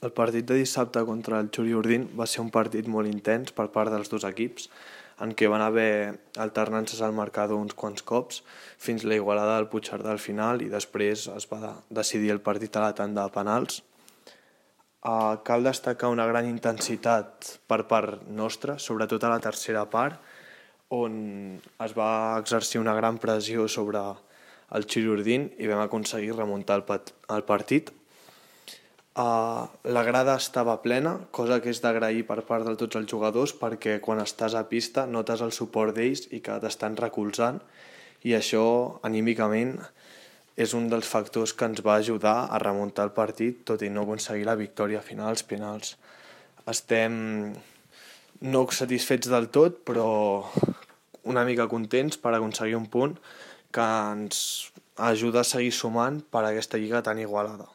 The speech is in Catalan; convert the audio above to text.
El partit de dissabte contra el Xuri-Urdin va ser un partit molt intens per part dels dos equips, en què van haver alternances al marcador uns quants cops, fins la igualada del Puigcerdà al final, i després es va decidir el partit a la tanda de penals. Cal destacar una gran intensitat per part nostra, sobretot a la tercera part, on es va exercir una gran pressió sobre el Xuri-Urdin i vam aconseguir remuntar el partit. La grada estava plena, cosa que és d'agrair per part de tots els jugadors, perquè quan estàs a pista notes el suport d'ells i que t'estan recolzant, i això anímicament és un dels factors que ens va ajudar a remuntar el partit, tot i no aconseguir la victòria final als penals. Estem no satisfets del tot, però una mica contents per aconseguir un punt que ens ajuda a seguir sumant per a aquesta lliga tan igualada.